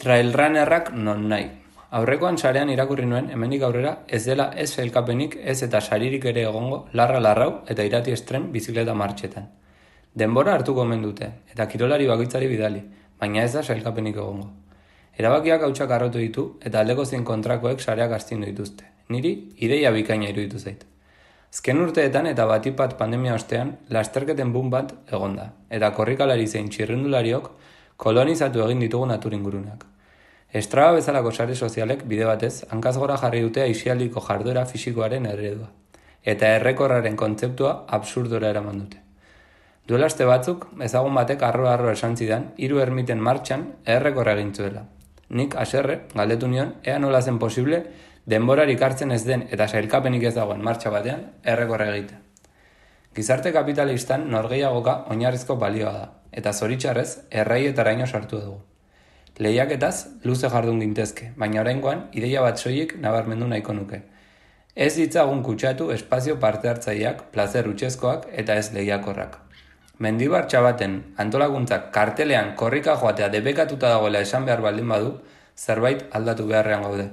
Trailrunnerrak non nahi. Aurrekoan sarean irakurri nuen hemendik aurrera ez dela ez sailkapenik ez eta saririk ere egongo larra-larrau eta irati estren bizikleta martxetan. Denbora hartuko omen dute eta kirolari bakoitzari bidali, baina ez da sailkapenik egongo. Erabakiak hautsak arrotu ditu eta aldeko zein kontrakoek sareak astindu dituzte. Niri ideia bikaina iruditu zait. Azken urteetan eta batipat pandemia ostean lasterketen boom bat egonda eta korrikalari zein txirrindulariok kolonizatu egin ditugu naturingurunak. Strava bezalako sare sozialek bide batez hankaz gora jarri dute aisialdiko jarduera fisikoaren eredua eta errekorraren kontzeptua absurdora eraman dute. Duela aste batzuk, ezagun batek arro esan zidan 3 ermiten martxan errekorra egin zuela. Nik haserre galdetu nion ea nola zen posible denborarik hartzen ez den eta sailkapenik ez dagoen martxa batean errekorra egitea. Gizarte kapitalistan norgehiagoka oinarrizko balioa da, eta zoritxarrez erraietaraino sartu dugu. Lehiaketaz luze jardun gintezke, baina oraingoan ideia bat soilik nabarmendu nahiko nuke. Ez ditzagun kutsatu espazio parte hartzaileak, plazer hutsezkoak eta ez lehiakorrak. Mendibar Txabaten antolakuntzak kartelean korrika joatea debekatuta dagoela esan behar baldin badu, zerbait aldatu beharrean gaude.